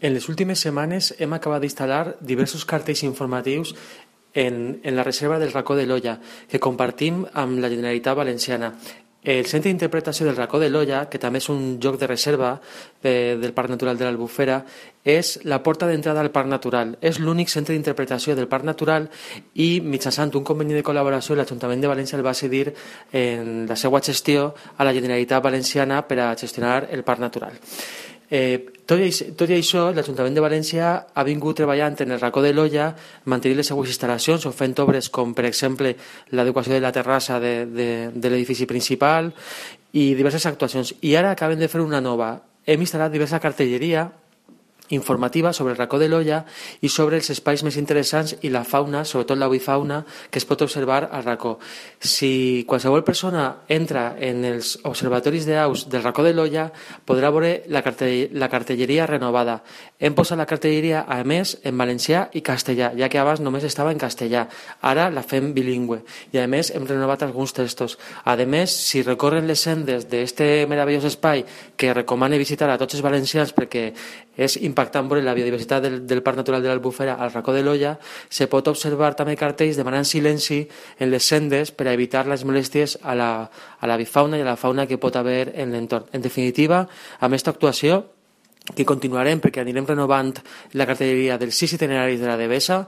En les últimes setmanes hem acabat d'instal·lar diversos cartells informatius en la reserva del Racó de l'Olla, que compartim amb la Generalitat Valenciana. El Centre d'Interpretació del Racó de l'Olla, que també és un lloc de reserva del Parc Natural de l'Albufera, és la porta d'entrada al Parc Natural. És l'únic centre d'interpretació del Parc Natural i, mitjançant un conveni de col·laboració, l'Ajuntament de València el va cedir en la seva gestió a la Generalitat Valenciana per a gestionar el Parc Natural. Tot i això, l'Ajuntament de València ha vingut treballant en el Racó de l'Olla, mantenint les seues instal·lacions o fent obres com, per exemple, l'adequació de la terrassa de l'edifici principal i diverses actuacions. I ara acaben de fer una nova. Hem instal·lat diversa cartelleria informativa sobre el Racó de l'Olla i sobre els espais més interessants i la fauna, sobretot l'avifauna, que es pot observar al racó. Si qualsevol persona entra en els observatoris d'aus del Racó de l'Olla, podrà veure la cartelleria renovada. Hem posat la cartelleria, a més, en valencià i castellà, ja que abans només estava en castellà. Ara la fem bilingüe i, a més, hem renovat alguns textos. A més, si recorren les sendes d'aquest meravellós espai que recomane visitar a tots els valencians perquè és impactant veure la biodiversitat del Parc Natural de l'Albufera al Racó de l'Olla, se pot observar també cartells demanant silenci en les sendes per a evitar les molèsties a l'avifauna i a la fauna que pot haver en l'entorn. En definitiva, amb aquesta actuació, que continuarem perquè anirem renovant la cartelleria dels 6 itineraris de la Devesa,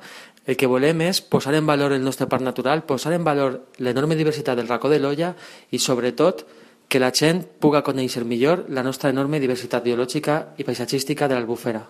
el que volem és posar en valor el nostre parc natural, posar en valor l'enorme diversitat del Racó de l'Olla i, sobretot, que la gent pugui conèixer millor la nostra enorme diversitat biològica i paisatgística de l'Albufera.